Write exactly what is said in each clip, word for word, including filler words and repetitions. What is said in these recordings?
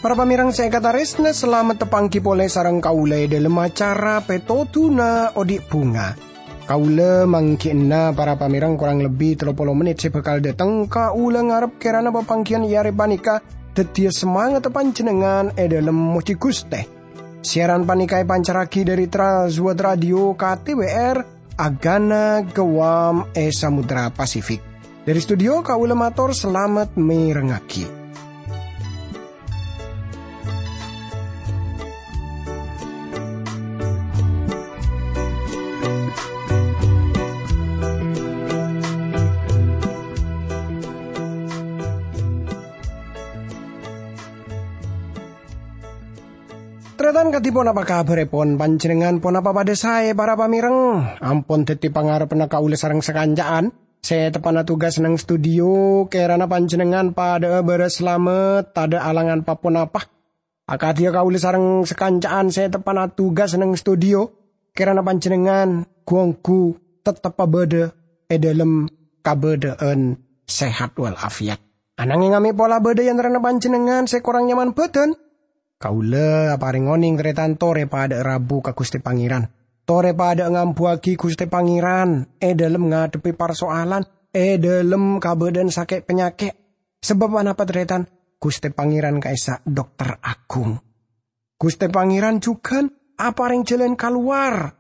Para pamèrèng sè èkatarèsna, salamet tapangghi polè sareng kaulâ è dhâlem acara Pètodhuna Odi' Bhunga. Kaulâ mangghi'na para pamèrèng korang lebbi tello polo mennit sè bhâkal dhâteng. Kaulâ ngarep kèrana papangghiyân è arè panèka dhâddhiyâ samangatta panjhennengngan è dhâlem mojhi Ghustè. Siaran panèka èpancarraghi dhâri Trans World Radio K T W R, Agana Guam è Samudra Pasifik. Dhâri studio kaulâ mator salamet mèrengngaghi. Tarètan, kadhi ponapa kabhârèpon? Panjhennengngan ponapa padhâ saè, para pamèrèng? Ampon dhâddhi pangarebbhânna kaulâ sareng sakanca'an sè teppa'na tugas neng studio. Kèrana panjhennengngan padhâ'â bârâs salamet, tadhâ' alangan pa-ponapa. Akadhiyâ kaulâ sareng sakanca'an sè teppa'na tugas neng studio, kèrana panjhennengngan ghu-ongghu tetteppa bâdâ è dhâlem kabâdâ'ân sehat wal afiat. Ananghèng amè' pola bâdâ è antarana panjhennengngan sè korang nyaman bhâdhân. Kaulâ aparèng onèng, tarètan, torè padhâ'â rabu ka Ghustè Pangèran. Torè padhâ'â ngambuwâghi Ghustè Pangèran è dhâlem ngadhebbhi parsoalan, è dhâlem kabâdâ'ân sakè' panyakè'. Sabâb anapa, tarètan? Ghustè Pangèran ka'issa' dokter aghung. Ghustè Pangèran jhughân aparèng jhâlân kalowar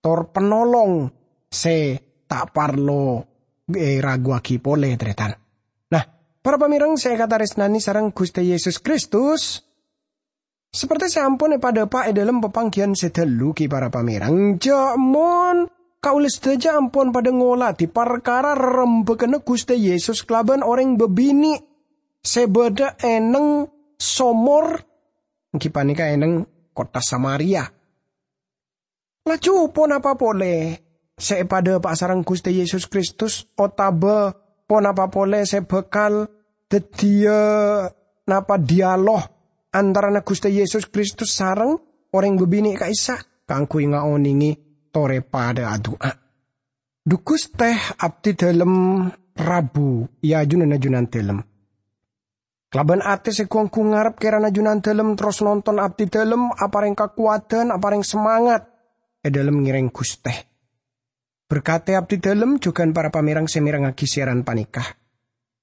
tor panolong sè ta' parlo èraguwâghi polè, tarètan. Nah, para pamèrèng sè èkatarèsnanè sareng Ghustè Yesus Kristus, saperte sè ampon èpadhâpa' è dhâlem papangghiyân sè dhâllu ghi, para pamèrèng, jhâ' mon kaulâ sadhâjâ ampon padhâ ngolatè parkara rarembhâghânna Ghustè Yesus kalabân orèng bâbinè' sè bâdâ è neng somor, èngghi panèka è neng kottha Samaria. Laju ponapa polè sè èpadhâpa'a sareng Ghustè Yesus Kristus, otabâ ponapa polè sè bhâkal dhâddhiyâ napa dialog antarana Ghustè Yesus Kristus sareng orèng bâbinè' ka'issa' kaangghuy ngaonèngè torè padhâ adu'a? Dhu Ghustè, abdhi dhâlem rabu è ajunanna Junandhâlem. Kalabân atè sè ghu-ongghu ngarep kèrana Junandhâlem terros nonton abdhi dhâlem, aparèng kakowadhân, aparèng samangat è dhâlem ngèrèng Ghustè. Berkatè abdhi dhâlem jhughân para pamèrèng sè mèrengngaghi siaran panèka.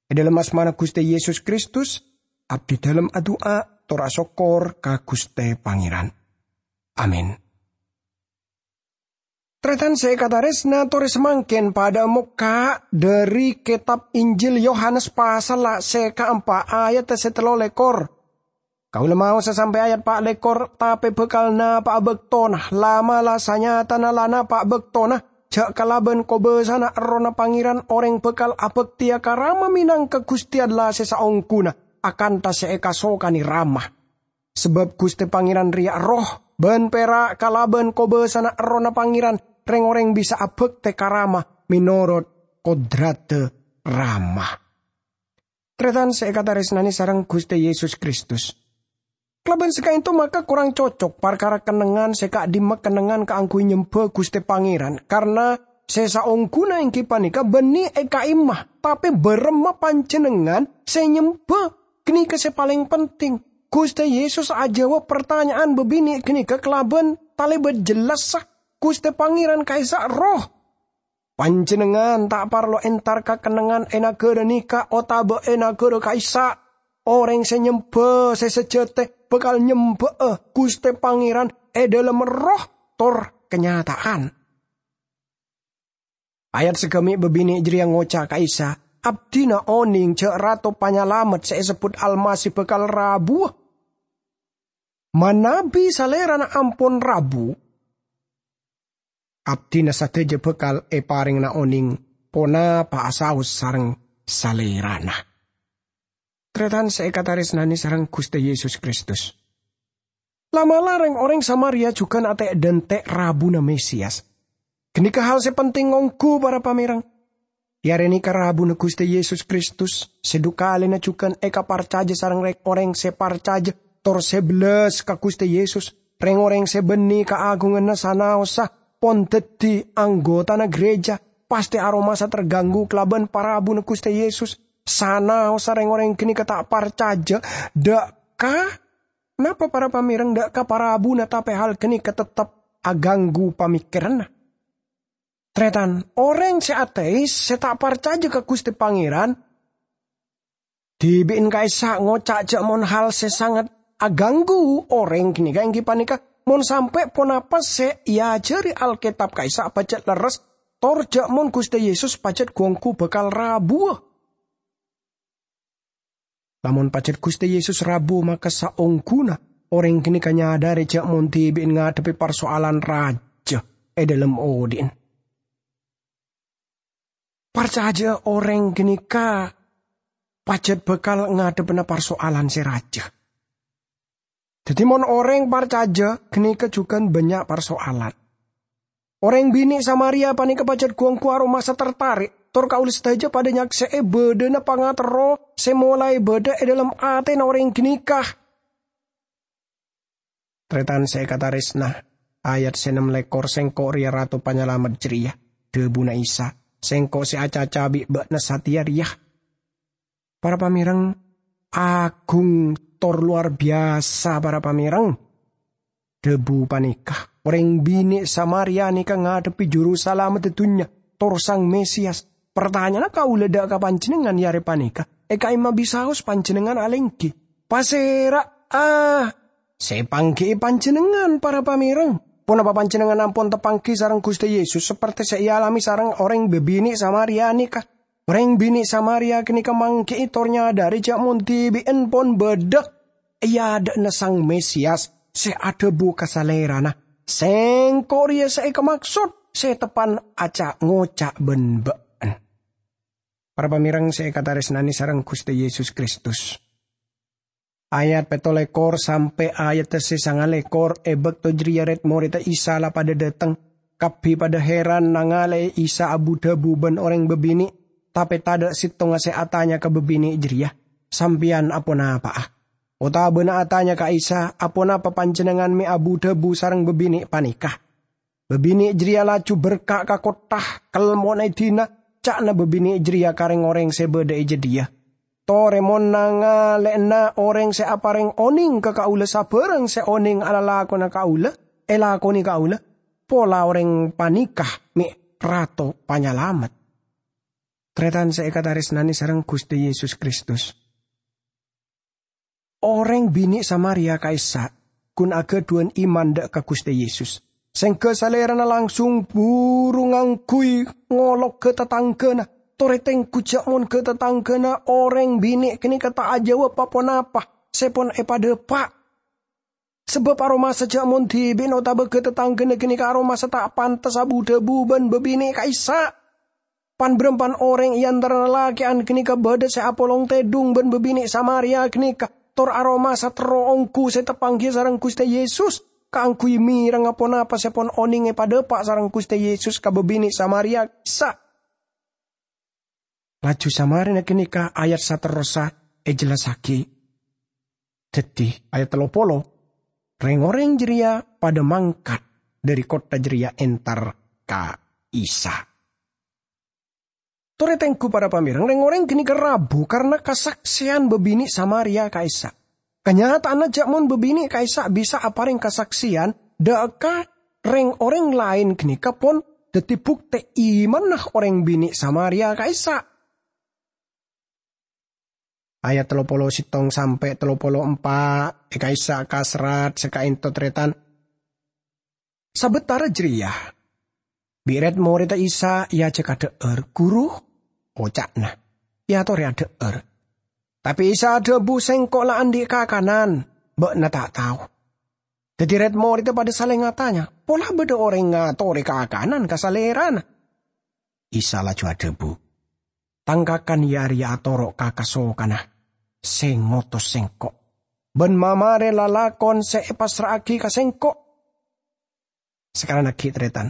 È dhâlem asmana Ghustè Yesus Kristus, abdhi dhâlem adu'a tor asokkor ka Ghustè Pangèran. Amin. Tarètan sè èkatarèsna, torè samangkèn padhâ'â mokka' dhâri Kètab Injil Yohanes pasalla sè kaempa' ayat sè tello lèkor. Kaulâ maosa sampè' ayat pa' lèkor, tapè bhâkal napa'a bâktona, la'-mala' sanyatana la napa' bâktona, jhâ' kalabân kobâsana Errohna Pangèran orèng bhâkal abhâktèya ka Rama mènangka Ghustè Allah sè saongghuna, akantha sè èkasokanè Rama. Sabâb Ghustè Pangèran rèya Erroh, bân pèra' kalabân kobâsana Errohna Pangèran rèng-orèng bisa abhâktè ka Rama mènorot kodradhâ Rama. Tarètan sè èkatarèsnanè sareng Ghustè Yesus Kristus. Kalabân sè ka'ènto maka korang cocok parkara kennengngan sè ka'dhimma kennengngan kaangghuy nyembhâ Ghustè Pangèran, karna sè saongghuna èngghi panèka bânnè è ka'imma, tapè bârâmma panjhennengngan sè nyembhâ? Ghânèka sè palèng penting. Ghustè Yesus ajâwâb partanya'an bâbinè' ghânèka kalabân talèbât jellassa, Ghustè Pangèran ka'issa' Erroh. Panjhennengngan ta' parlo entar ka kennengngan è naghârâ nèka otabâ è naghârâ ka'issa'. Orèng sè nyembhâ sè sajhâtè bhâkal nyembhâ'â Ghustè Pangèran è dhâlem erroh tor kanyata'an. Ayat sè ghâmè' bâbinè' jârèya ngoca' ka'issa', "Abdhina onèng jhâ' Rato Panyalamet sè èsebbhut Almasih bhâkal rabuwâ. Manabi Salèrana ampon rabu, abdhina sadhâjâ bhâkal èparèngana onèng ponapa'a saos sareng Salèrana." Tarètan sè èkatarèsnanè sareng Ghustè Yesus Kristus. La'-mala' rèng-orèng Samaria jhughân atè'-dhântè' rabuna Mesias. Ghânèka hal sè penting ongghu, para pamèrèng. È arè nèka rabuna Ghustè Yesus Kristus, sè dhu kalèna jhughân èkaparcajâ sareng rèng-orèng sè parcajâ tor sè bellas ka Ghustè Yesus. Rèng-orèng sè bânnè kaagunganna sanaossa pon dhâddhi anggotana gereja, pastè aromasa terganggu kalabân parabuna Ghustè Yesus. Sanaossa rèng-orèng ghânèka ta' parcajâ dâ' ka, napa para pamèrèng, dâ' ka parabuna, tapè hal ghânèka tettep aganggu pamèkkèranna. Tarètan, orèng sè ateis, sè ta' parcajâ ka Ghustè Pangèran, dhibi'en ka'issa' ngoca' jâ' mon hal sè sanget aganggu orèng ghânèka èngghi panèka mon sampè' ponapa sè èajhâri Alkètab ka'issa' pajhât lerres, tor jâ' mon Ghustè Yesus pajhât ghu-ongghu bhâkal rabuwâ. Lamon pajhât Ghustè Yesus rabu, maka saongghuna orèng ghânèka nyadhâri jâ' mon dhibi'en ngadhebbhi parsoalan rajâ è dhâlem odi'en. Parcajâ orèng ghânèka pajhât bhâkal ngadhebbhâna parsoalan sè rajâ. Dhâddhi, mon orèng parcajâ, ghânèka jhughân bânnya' parsoalan. Orèng binè' Samaria panèka pajhât ghu-ongghu aromasa tertarik, tor kaulâ sadhâjâ padâ nyaksè'è bâdâna pangaterro sè molaè bâdâ è dhâlem atèna orèng ghânèka. Tarètan sè èkatarèsna, ayat sè ennem lèkor, "Sèngko' rèya Rato Panyalamet jârèya," dhâbuna Isa, "Sèngko' sè acaca bi' bâ'na satèya rèya." Para pamèrèng, agung tor lowar biyasa, para pamèrèng. Dhâbu panèka, orèng binè' Samaria nèka ngadhebbhi Juru Salameddhâ dhunnya, tor Sang Mesiyas. Partanya'anna kaulâ dâ' ka panjhennengngan è arè panèka, è ka'imma bisaos panjhennengngan alèngghi. Pasèra'a sè èpangghi'i panjhennengngan, para pamèrèng? Ponapa panjhennengngan ampon tapangghi sareng Ghustè Yesus, sapertè sè èalamè sareng orèng bâbinè' Samaria nèka? Orèng binè' Samaria ghânèka mangghi'i tor nyadhâri jâ' mon dhibi'en pon bâdâ è adâ'na Sang Mesiyas sè adhâbu ka Salèrana, "Sèngko' rèya sè èkamaksod, sè teppan aca-ngoca' bân bâ'na." Para pamèrèng sè èkatarèsnanè sareng Ghustè Yesus Kristus. Ayat pètto lèkor sampè' ayadda sè sanga lèkor, è bâkto jârèya rèd-morèdda Isa la padâ dâteng. Kabbhi padâ hèran nangalè'è Isa abu-dhâbu bân orèng bâbinè', tapè tadâ' sèttonga sè atanya ka bâbinè' jârèya, "Sampèyan aponapa'a?" Otabâna atanya ka Isa, "Aponapa panjhennengngan mè' abu-dhâbu sareng bâbinè' panèka?" Bâbinè' jârèya laju berka' ka kottha, kelmon è dina, ca'na bâbinè' jârèya ka rèng-orèng sè bâdâ è jâdiyâ, "Torè mon nangalè'ana orèng sè aparèng onèng ka kaulâ sabârâng sè onèng alalakona kaulâ, èlakonè kaulâ, pola orèng panèka mè' Rato Panyalamet." Tarètan sè èkatarèsnanè sareng Ghustè Yesus Kristus. Orèng binè' Samaria ka'issa' ghun aghâdhuwân iman dâ' ka Ghustè Yesus. Sèngghâ Salèrana langsung buru ngangghuy ngolok ghâ-tatangghâna. Torè tengghu jâ' mon ghâ-tatangghâna orèng binè' ghânèka ta' ajâwâb pa-ponapa sè pon èpadâpa'. Sabâb aromasa jâ' mon dhibi'na otabâ ghâ-tatangghâna ghânèka aromasa ta' pantes abu-dhâbu bân bâbinè' ka'issa'. Pan-bârâmpan orèng è antarana lakè'an ghânèka bâdâ sè apolong tèdhung bân bâbinè' Samaria ghânèka, tor aromasa terro ongghu sè tapangghi sareng Ghustè Yesus, kaangghuy mèreng aponapa sè pon onèng èpadâpa' sareng Ghustè Yesus ka bâbinè' Samaria ka'issa'. Laju samarèna ghânèka ayat saterrossa èjellassaghi. Dhâddhi, ayat tello polo, rèng-orèng jârèya padâ mangkat dâri kottha jârèya entar ka Isa. Torè tengghu, para pamèrèng, rèng-orèng ghânèka rabu karna kasaksèyan bâbinè' Samaria ka'issa'. Kanyata'anna jâ' mon bâbinè' ka'issa' bisa aparèng kasaksèyan dâ' ka rèng-orèng laèn ghânèka pon dhâddhi buktè imanna orèng binè' Samaria ka'issa'. Ayat tello polo sèttong sampè' tello polo empa' è ka'issa' kaserrat sè ka'ènto tarètan. Sabâtara jârèya, bi' rèd-morèdda Isa èajhâk adhâ'âr, "Ghuru," oca'na, èatorè adhâ'âr. Tapè Isa adhâbu, "Sèngko' la andi' kakanan, bâ'na ta' tao." Dhâddhi rèd-morèdda padâ salèng atanya, "Pola bâdâ orèng ngatorè kakanan ka Salèrana?" Isa laju adhâbu, "Tang kakan yâ arèya atoro' ka kasokanna sè ngotos Sèngko', bân mamarè lalakon sè èpassra'aghi ka Sèngko'." Sakalangkong ghi' tarètan,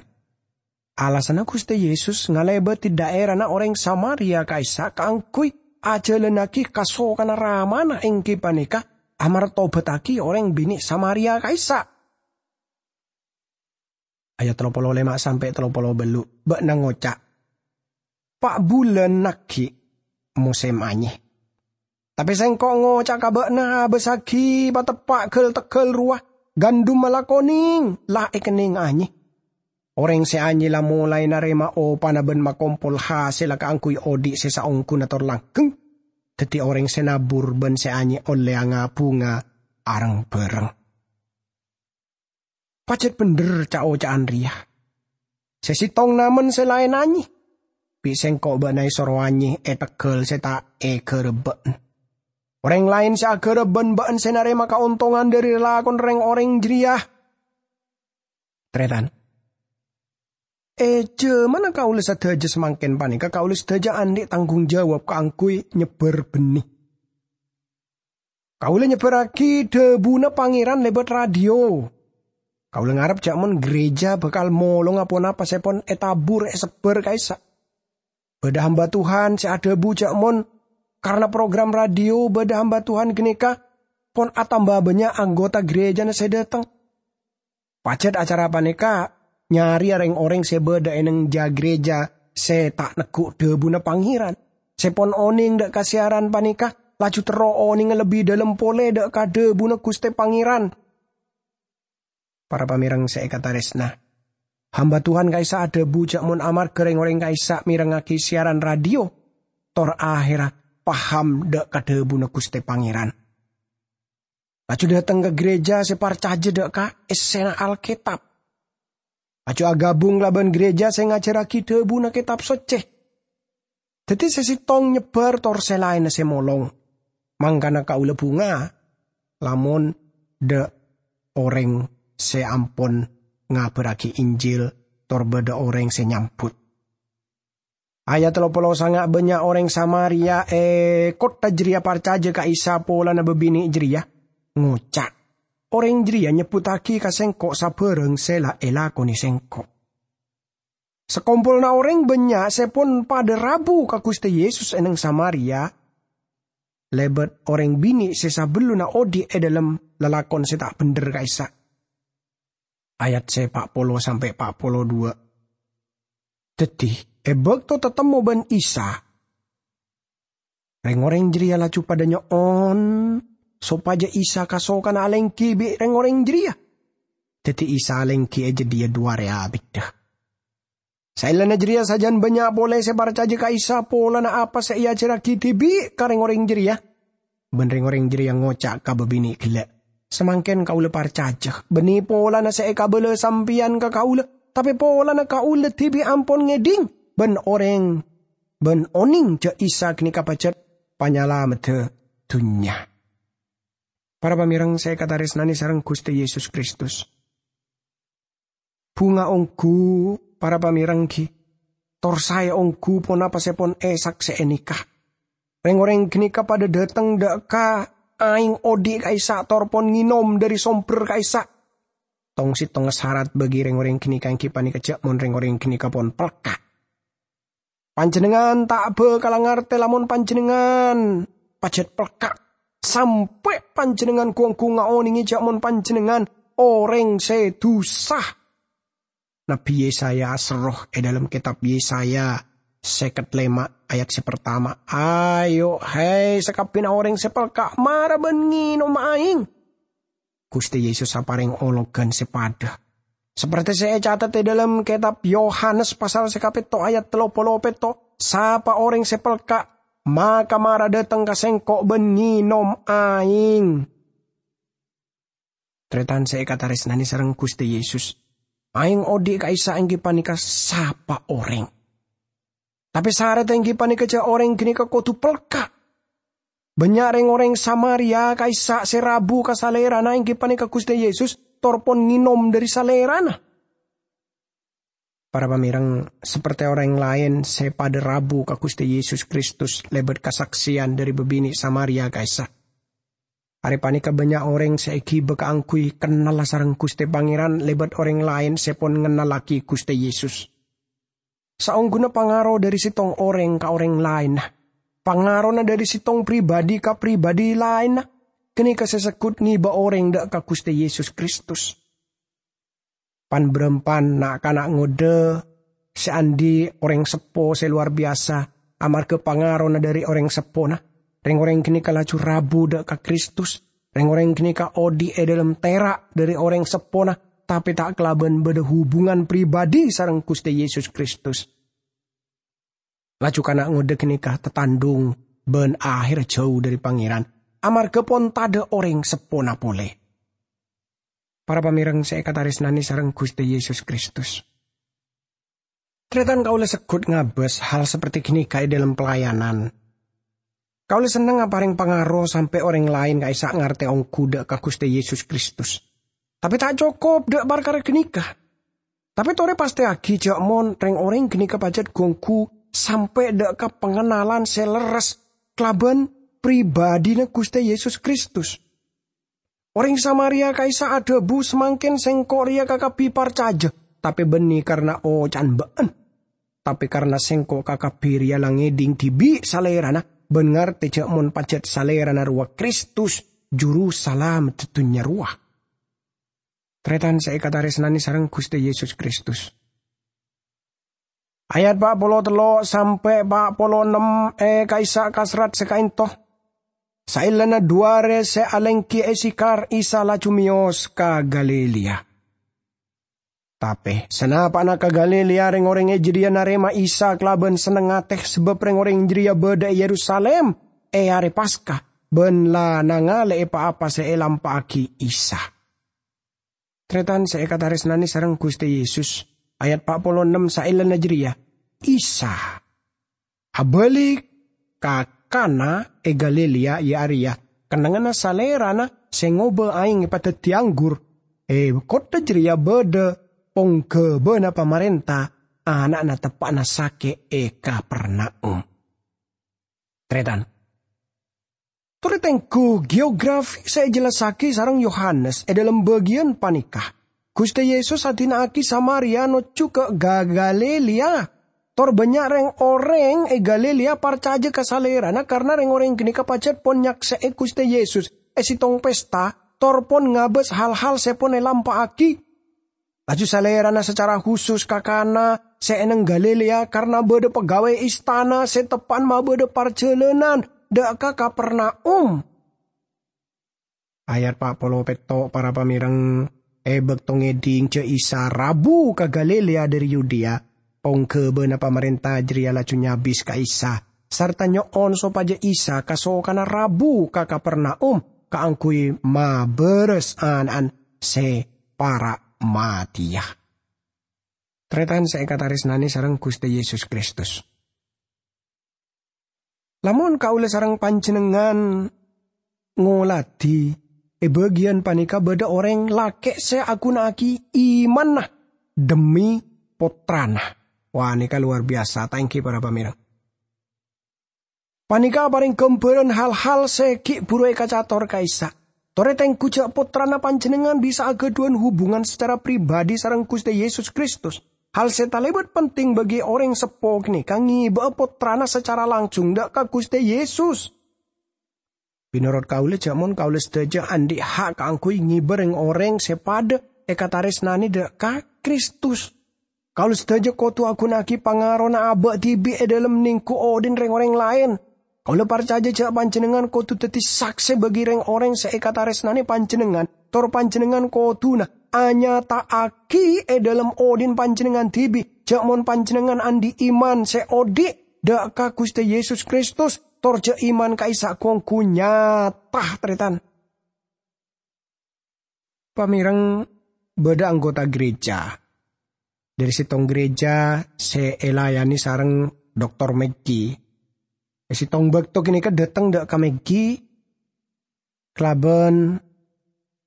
alasanna Ghustè Yesus ngalèbâdhi dhaèrana orèng Samaria ka'issa' kaangghuy ajhâlânnaghi kasokanna Ramana èngghi panèka amartobâttaghi orèng binè' Samaria ka'issa'. Ayat tello polo lèma' sampè' tello polo bâllu', bâ'na ngoca', "Pa' bulân aghi' mosèm anyè. Tapè sèngko' ngoca' ka bâ'na, abâssaghi pateppa' ghâl-teghâl rowa, gandumma la konèng, la èkennèng anyè. Orèng sè anyè la molaè narèma opana bân makompol hasèlla kaangghuy odi' sè saongghuna tor langghâng. Dhâddhi orèng sè nabur bân sè anyè ollè anga-bhunga areng-bhâreng." Pajhât bhendher ca'-oca'an rèya. Sè sèttong namen sè laèn anyè. Bi' sèngko' bâ'na èsoro anyè è teghâl sè ta' èghârâbbhâ'ân. Orèng laèn sè aghârâbbhâ'ân bâ'ân sè narèma kaontongan dhâri lalakon rèng-orèng jârèya. Tarètan. È jhâmanna kaulâ sadhâjâ samangkèn panèka, kaulâ sadhâjâ andi' tanggung jawab kaangghuy nyebbhâr bhennè. Kaulâ nyebbhârraghi dhâbuna Pangèran lèbât radio. Kaulâ ngarep jhâ' mon gereja bhâkal molonga ponapa sè pon ètabur èsebbhâr ka'issa'. Bâdâ hamba Tuhan sè adhâbu jhâ' mon karana program radio bâdâ hamba Tuhan ghânèka pon atamba bânnya' anggota gerejana sè dâteng. Pajhât acara panèka nyarèya rèng-orèng sè bâdâ è neng jhâ' gereja sè ta' neggu' dhâbuna Pangèran, sè pon onèng dâ' ka siaran panèka, laju terro onènga lebbi dâlem polè dâ' ka dhâbuna Ghustè Pangèran. Para pamèreng sè èkatarèsna, hamba Tuhan ka'issa' adhâbu jhâ' mon amarghâ rèng-orèng ka'issa' mèrengngaghi siaran radio, tor ahèrra paham dâ' ka dhâbuna Ghustè Pangèran. Laju dâteng ka gereja sè parcajâ dâ' ka essèna Alkètab. Laju aghâbung kalabân gereja sè ngajhârraghi dhâbuna Kètab Soccè. Dhâddhi sè sèttong nyebbhâr tor sè laènna sè molong. Mangkana kaulâ bhunga lamon dâ' orèng sè ampon ngabhârraghi Injil tor bâdâ orèng sè nyambut. Ayat tello polo sanga', bânnya' orèng Samaria è kottha jârèya parcajâ ka Isa polana bâbinè' jârèya, ngoca', "Orèng jârèya nyebbhuttaghi ka sèngko' sabârâng sè la èlakonè sèngko'." Sakompolanna orèng bânnya' sè pon padâ rabu ka Ghustè Yesus è neng Samaria, lèbât orèng binè' sè sabellunna odi' è dâlem lalakon sè ta' bhendher ka'issa'. Ayat sè pa' polo sampè' pa' polo duwâ'. Dhâddhi, è bâkto tatemmo bân Isa, rèng-orèng jârèya laju padâ nyo'on sopajâ Isa kasokana alèngghi bi' rèng-orèng jârèya. Dhâddhi Isa alèngghi è jâdiyâ du arè abiddhâ. Saellana jârèya sajân bânnya' polè sè parcajâ ka Isa polana apa sè èajhârraghi dhibi' ka rèng-orèng jârèya. Bân rèng-orèng jârèya ngoca' ka bâbinè' ghellâ', "Samangkèn kaulâ parcajâ, bânnè polana sè èkabâlâ sampèyan ka kaulâ, tapè polana kaulâ dhibi' ampon ngèdhing bân orèng, bân onèng jâ' Isa ghânèka pajhât Panyalameddhâ dhunnya." Para pamèreng sè èkatarèsnanè sareng Ghustè Yesus Kristus. Bhunga ongghu, para pamèreng, ghi, tor saè ongghu ponapa sè pon èsaksè'è nèka. Rèng-orèng ghânèka padâ dâteng dâ' ka aèng odi' ka'issa' tor pon ngènom dâri sombher ka'issa'. Tong-settongnga sarat bagi rèng-orèng ghânèka èngghi panèka jâ' mon rèng-orèng ghânèka pon pelka'. Panjhennengngan ta' bhâkal ngartè lamon panjhennengngan pajhât pelka', sampè' panjhennengngan gu-onggu ngaonèngè jâ' mon panjhennengngan orèng sè dhusa. Nabbhi Yesaya aserro è dâlem kètab Yesaya sèket lèma' ayat sè partama, "Ayo, hè, sakabbhiyânna orèng sè pelka', mara bân ngènom aèng." Ghustè Yesus aparèng ologhân sè padâ. Sapertè sè ècatet è dâlem kètab Yohanes pasal sè kapètto' ayat tello polo pètto', "Sapa orèng sè pelka', maka mara dâteng ka Sèngko' bân ngènom aèng." Tarètan sè èkatarèsnanè sareng Ghustè Yesus, aèng odi' ka'issa' èngghi panèka sapa orèng. Tapè sarat èngghi panèka jâ' orèng ghânèka kodhu pelka'. Bânnya' rèng-orèng Samaria ka'issa' sè rabu ka Salèrana èngghi panèka Ghustè Yesus, tor pon ngènom dâri Salèrana. Para pamèreng, sapertè orèng laèn sè padâ rabu ka Ghustè Yesus Kristus lèbât kasaksèyan dâri bâbinè' Samaria ka'issa'. Arè panèka bânnya' orèng sè èghibâ kaangghuy kennalla sareng Ghustè Pangèran lèbât orèng laèn sè pon ngennallaghi Ghustè Yesus. Saongghuna pangaro dâri sèttong orèng ka orèng laènna, pangarona dâri sèttong pribadhi ka pribadhi laènna, ghânèka sè segghut ngèbâ orèng dhâ' ka Ghustè Yesus Kristus. Pan-bârâmpan na'-kana' ngodâ sè andi' orèng seppo sè lowar biyasa amarghâ pangarona dhâri orèng seppona. Rèng-orèng ghânèka laju rabu dhâ' ka Kristus. Rèng-orèng ghânèka odi' è dhâlem tèra' dhâri orèng seppona, tapè ta' kalabân bâdâ hubungan pribadi sareng Ghustè Yesus Kristus. Laju kana' ngodâ ghânèka tatandhung bân aherra jhâu dhâri Pangèran, amarghâ pon tadâ' orèng seppona polè. Para pamèreng sè èkatarèsnanè sareng Ghustè Yesus Kristus. Tarètan, kaulâ segghut ngabâs hal saperti ghânèka è dhâlem pelayanan. Kaulâ senneng aparèng pangaro sampè' orèng laèn ka'issa' ngartè ongghu dhâ' ka Ghustè Yesus Kristus. Tapè ta' cokop dhâ' parkara ghânèka. Tapè torè pastèyaghi jhâ' mon rèng-orèng ghânèka pajhât ghu-ongghu sampè' dhâ' ka pangennalan sè lerres kalabân pribadhina Ghustè Yesus Kristus. Orèng Samaria ka'issa' adhâbu, "Samangkèn sèngko' rèya kakabbhi parcajâ, tapè bânnè karna oca'an bâ'ân. Tapè karna sèngko' kakabbhi rèya la ngèdhing dhibi' Salèrana bân ngartè jhâ' mon pajhât Salèrana rowa Kristus, Juru Salameddhâ dhunnya rowa." Tarètan sè èkatarèsnanè sareng Ghustè Yesus Kristus. Ayat pa' polo tello' sampè' pa' polo ennem è ka'issa' kaserrat sè ka'ènto. Saellana dhu arè sè alèngghi è Sikhar, Isa laju mèyos ka Galilea. Tapè sanapa'na ka Galilea, rèng-orèng è jârèya narèma Isa kalabân senneng atè, sabâb rèng-orèng jârèya bâdâ è Yerusalim è arè Paska bân la nangalè'è pa-apa sè èlampa'aghi Isa. Tarètan sè èkatarèsnanè sareng Ghustè Yesus, ayat pa' polo ennem saellana jârèya, Isa abâli ka Kana è Galilea, iyâ arèya kennengnganna Salèrana sè ngobâ aèng èpadhâddhi anggur. È kottha jârèya bâdâ pongghâbâna pamarènta, ana'na teppa'na sakè' è Kapernaum. Tarètan. Torè tengghu geografi sè èjellassaghi sareng Yohanes è dhâlem bâgiyân panèka. Ghustè Yesus adina'aghi Samaria nojjhu ka Ga-, Galilea. Tor bânnya' rèng-orèng è Galilea parcajâ ka Salèrana karna rèng-orèng ghânèka pajhât pon nyaksè'è Ghustè Yesus è sèttong pesta, tor pon ngabâs hal-hal sè pon èlampa'aghi. Laju Salèrana sacara khusus ka Kana sè è neng Galilea karna bâdâ pegawai istana sè teppa'an mabâdâ parjhâlânan dhâ' ka Kapernaum. Ayat pa' polo pètto', para pamèreng, è bâkto ngèdhing jhâ' Isa rabu ka Galilea dhâri Yudea, pongghâbâna pamarènta jârèya laju nyabis ka Isa, sarta nyo'on sopajâ Isa kasokanna rabu ka Kapernaum kaangghuy mabârâs ana'na sè para' matèya. Tarètan sè èkatarèsnanè sareng Ghustè Yesus Kristus. Lamon kaulâ sareng panjhennengngan ngoladhi, è bâgiyân panèka bâdâ orèng lakè' sè aghuna'aghi imanna dhemmi pottrana. Wah, nèka lowar biyasa, ta' èngghi, para pamèreng? Panèka aparèng ghâmbhârân hal-hal sè ghi' bhuru èkacator ka'issa'. Torè tengghu jhâ' pottrana panjhennengngan bisa aghâdhuwân hubungan sacara pribadi sareng Ghustè Yesus Kristus. Hal sè talèbât penting bagi orèng seppo ghânèka ngèbâ'â pottrana sacara langsung dhâ' ka Ghustè Yesus. Mènorot kaulâ, jhâ' mon kaulâ sadhâjâ andi' ha' kaangghuy ngèbâ rèng-orèng sè padâ èkatarèsnanè dhâ' ka Kristus. Kaulâ sadhâjâ kodhu aghuna'aghi pangarona abâ' dhibi' è dhâlem nèngghu odhi'na rèng-orèng laèn. Kaulâ parcajâ jhâ' panjhennengngan kodhu dhâddhi saksè bagi rèng-orèng sè èkatarèsnanè panjhennengngan, tor panjhennengngan kodhuna anyata'aghi è dhâlem odhi'na panjhennengngan dhibi', jhâ' mon panjhennengngan andi' iman sè odhi' dhâ' ka Ghustè Yesus Kristus, tor jhâ' iman ka'issa' ghu-ongghu nyata, tarètan. Pamèreng, bâdâ anggota gereja dhâri sèttong gereja sè èlayanè sareng Doktor Maggie. È sèttong bâkto ghânèka dâteng dhâ' ka Maggie kalabân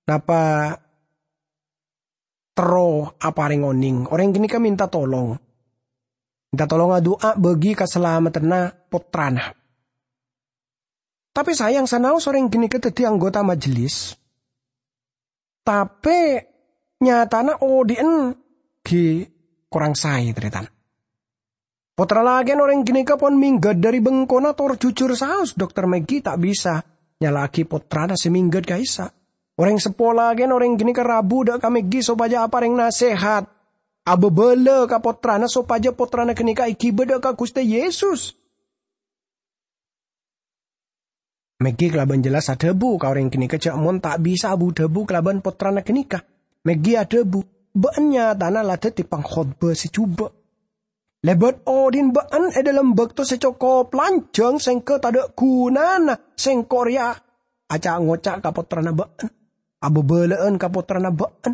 napa terro aparèng onèng. Orèng ghânèka mènta tolong. Mènta tolong adu'a bagi kasalameddhânna pottrana. Tapè sayang, sanaos orèng ghânèka dhâddhi anggota majelis, tapè nyatana odhi'na ghi' korang saè, tarètan. Pottra lakèna orèng ghânèka pon mèngghâ dhâri bengkona tor jujur saos, "Dokter Maggie, ta' bisa. nyala'aghi pottrana sè mèngghât ka'issa'. Orèng seppo lakèna orèng ghânèka rabu dâ' ka Maggie sopajâ aparèng nasèhat, abâbâlâ ka pottrana sopajâ pottrana ghânèka èghibâ dâ' ka Ghustè Yesus. Maggie kalabân jelas adhâbu ka orèng ghânèka jhâ' mon ta' bisa abu-dhâbu kalabân pottrana ghânèka. Maggie adhâbu, "Bâ'na nyatana la dhâddhi pangkhotbah sè jhubâ'. Lèbât odi'na bâ'na è dhâlem bâkto sè cokop lanjhâng sèngghâ tadâ' ghunana sèngko' rèya aca'-ngoca' ka pottrana bâ'na, abâbâlâ'ân ka pottrana bâ'na.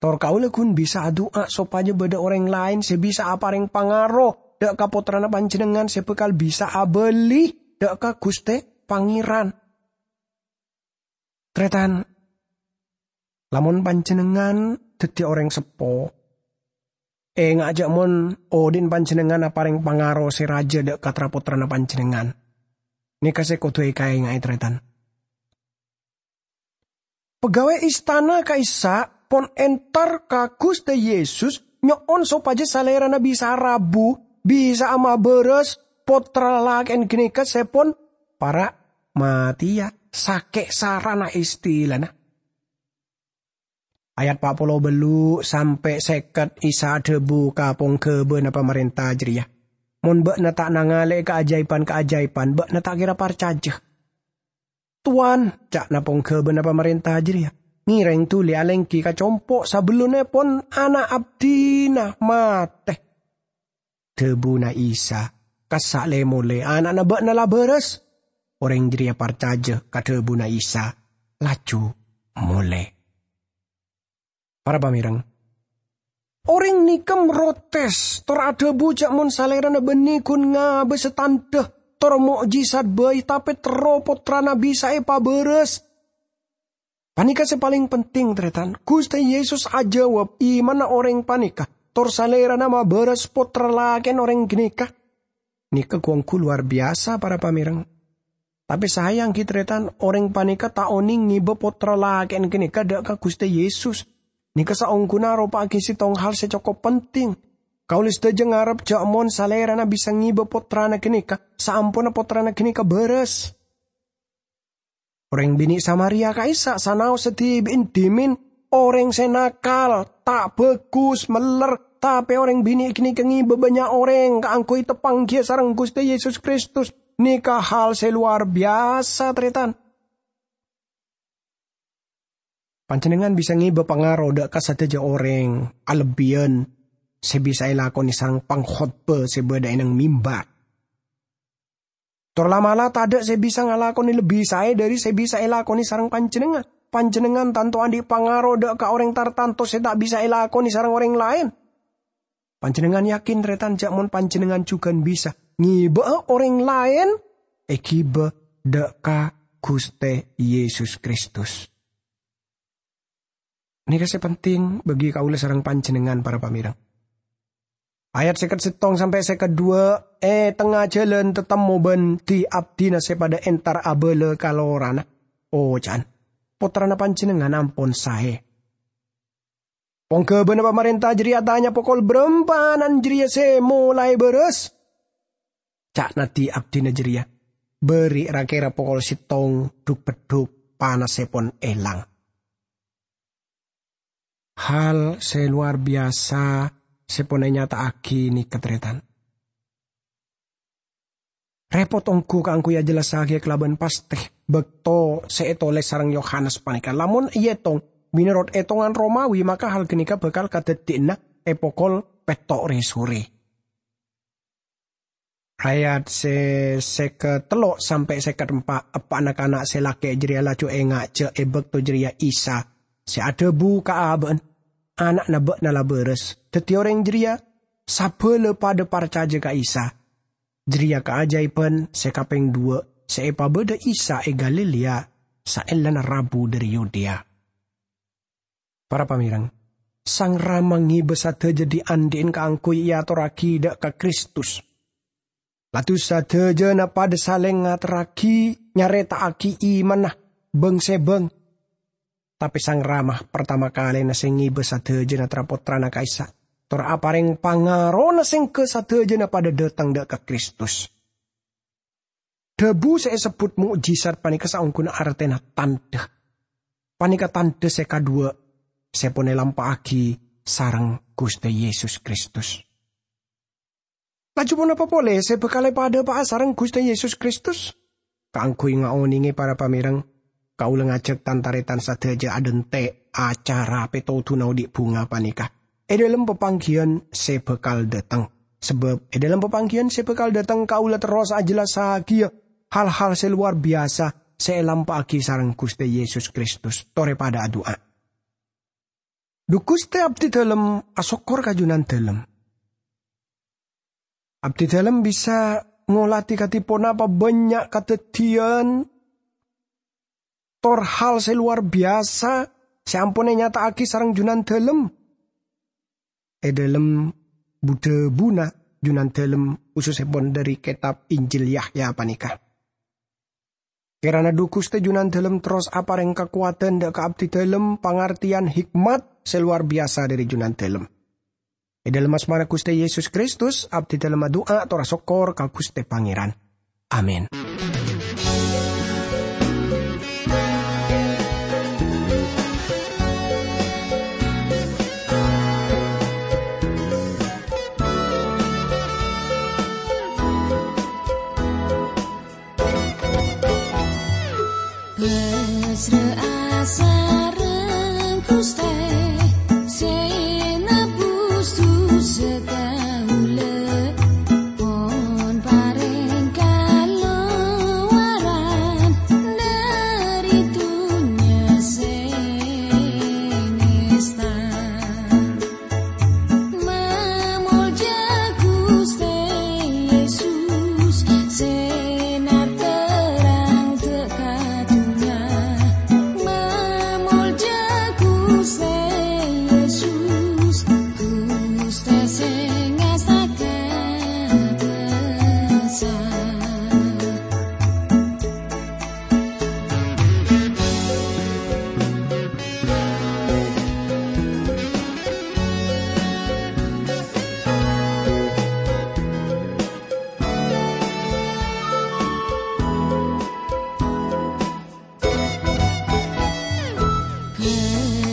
Tor kaulâ ghun bisa adu'a sopajâ bâdâ orèng laèn sè bisa aparèng pangaro dâ' ka pottrana panjhennengngan sè bhâkal bisa abâli dâ' ka Ghustè Pangèran." Tarètan, lamon panjhennengngan dhâddhi orèng seppo, ènga'a jhâ' mon odi'na panjhennengngan aparèng pangaro sè rajâ dâ' ka tra-pottrana panjhennengngan. Nèka sè kodhu èkaènga'è, tarètan. Pegawai istana ka'issa' pon entar ka Ghustè Yesus nyo'on sopajâ Salèrana bisa rabu, bisa amabârâs pottra lalakè'na ghânèka sè pon para' matèya sakè' sarana istilana. Ayat pa' polo bâllu' sampè' sèket Isa adhâbu ka pongghâbâna pamarènta jârèya, "Mon bâ'na ta' nangalè'è kaajâibhân-kaajâibhân, bâ'na ta' kèra parcajâ." "Towan," ca'na pongghâbâna pamarènta jârèya, "ngèrèng dhuli alèngghi ka compo' sabellunna pon ana' abdhina matè." Dhâbuna Isa, "Kassa' lè-molè, ana'na bâ'na la bârâs." Orèng jârèya parcajâ ka dhâbuna Isa, laju molè. Para pamèrèng, orèng nèka mrotès, tor adhâbu jhâ' mon Salèrana bânnè ghun ngabâsa tandhâ tor mo'jizat bhâi, tapè terro pottrana bisa èpabârâs. Panèka sè palèng penting, tarètan. Ghustè Yesus ajâwâb imanna orèng panèka, tor Salèrana mabârâs pottra lakè'na orèng ghânèka. Nèka ghu-ongghu lowar biyasa, para pamèrèng. Tapè sayang ghi, tarètan, orèng panèka ta' onèng ngibâ pottra lakè'na ghânèka dâ' ka Ghustè Yesus. Nèka saongghuna aropa'aghi sèttong hal sè cokop penting. Kaulâ sadhâjâ ngarep jhâ' mon Salèrana bisa ngibâ pottrana ghânèka saamponna pottrana ghânèka bârâs. Orèng binè' Samaria ka'issa' sanaossa dhibi'na dhimèn orèng sè nakal, ta' bhâghus, mèller, tapè orèng binè' ghânèka ngibâ bânnya' orèng kaangghuy tapangghiyâ sareng Ghustè Yesus Kristus. Nèka hal sè lowar biyasa, tarètan. Panjhennengngan bisa ngibâ pangaro dâ' ka sadhâjâ orèng, alebbiyân sè bisa èlakonè sareng pangkhotbah sè bâdâ è neng mimbar. Tor la'-mala' tadâ' sè bisa ngalakonè lebbi saè dhâri sè bisa èlakonè sareng panjhennengngan. Panjhennengngan tanto andi' pangaro dâ' ka orèng tartanto sè ta' bisa èlakonè sareng orèng laèn. Panjhennengngan yakin, tarètan, jhâ' mon panjhennengngan jhughân bisa ngibâ'â orèng laèn èghibâ dâ' ka Ghustè Yesus Kristus. Nèka sè penting bagi kaulâ sareng panjhennengngan, para pamèrèng. Ayat sèket sèttong sampè' sèket duwâ', è tengnga jhâlân tatemmo bân di-abdina sè padâ entar abâlâ ka lorana, oca'na, "Pottrana panjhennengngan ampon saè." Pongghâbâna pamarènta jârèya atanya pokol bârâmpa ana'na jârèya sè molaè bârâs. Ca'na di-abdina jârèya, "Bâri' ra-kèra pokol sèttong dhuk-beddhuk, panassa pon èlang." Hal sè lowar biyasa sè pon ènyata'aghi nèka, tarètan. Rèpot ongghu kaangghuy ajhellassaghiyâ kalabân pastè bâkto sè ètolès sareng Yohanes panèka. Lamon èètong mènorot ètongan Romawi, maka hal ghânèka bhâkal kadhâddhiyânna è pokol pètto' rè-sorè. Ayat sè sèket tello' sampè' sèket empa', eppa'na kana' sè lakè' jârèya laju enga' jâ' è bâkto jârèya Isa sè adhâbu ka abâ'na, "Ana'na bâ'na la bârâs." Dhâddhi orèng jârèya sabâlâ padâ parcajâ ka Isa. Jârèya kaajâibhân sè kapèng duwâ' sè èpabâdâ Isa è Galilea saellana rabu dhâri Yudea. Para pamèrèng, Sang Rama ngibâ sadhâjâ dhi'-andhi'na kaangghuy èatorraghi dâ' ka Kristus. Laju sadhâjâna padâ salèng ngaterraghi, nyarèta'aghi imanna bâng-sèbâng. Tapè Sang Rama partama kalèna sè ngibâ sadhâjâna tra-pottrana ka'issa', tor aparèng pangarona sèngghâ sadhâjâna padâ dâteng dâ' ka Kristus. Dhâbu sè èsebbhut mo'jizat panèka saongghuna artèna tandhâ. Panèka tandhâ sè kaduwâ' sè pon èlampa'aghi sareng Ghustè Yesus Kristus. Laju ponapa polè sè bhâkal èpadhâpa'a sareng Ghustè Yesus Kristus? Kaangghuy ngaonèngè para pamèreng, kaulâ ngajhâk tan-tarètan sadhâjâ adhânte' acara pètodhuna odi' bhunga panèka è dhâlem papangghiyân sè bhâkal dâteng. Sabâb è dhâlem papangghiyân sè bhâkal dâteng, kaulâ terros ajhellassaghiyâ hal-hal sè lowar biyasa sè èlampa'aghi sareng Ghustè Yesus Kristus. Torè padâ adu'a. Dhu Ghustè, abdhi dhâlem asokkor ka Junandhâlem. Abdhi dhâlem bisa ngolatè kadhi ponapa bânnya' kadhâddhiyân tor hal sè lowar biyasa sè ampon ènyata'aghi sareng Junandhâlem è dhâlem bu-dhâbuna Junandhâlem, khusussèpon dhâri kètab Injil Yahya panèka. Kèrana dhu Ghustè Junandhâlem terros aparèng kakowadhân dâ' ka abdhi dhâlem pangartèyan hikmat sè lowar biyasa dhâri Junandhâlem. È dhâlem asmana Ghustè Yesus Kristus, abdhi dhâlem adu'a tor asokkor ka Ghustè Pangèran. Amin. Pasra'a sareng Ghustè sè nebus dhusa kaulâ, pon parèng kalowaran dhâri dhunnya sè ngèsta. Mamolja Ghustè Yesus sè naterrang dâ' ka dhunnya. Mamolja Ghustè Yesus, Ghustè sè ngastaka dhâsa.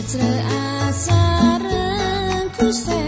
Pasra'a sareng Ghustè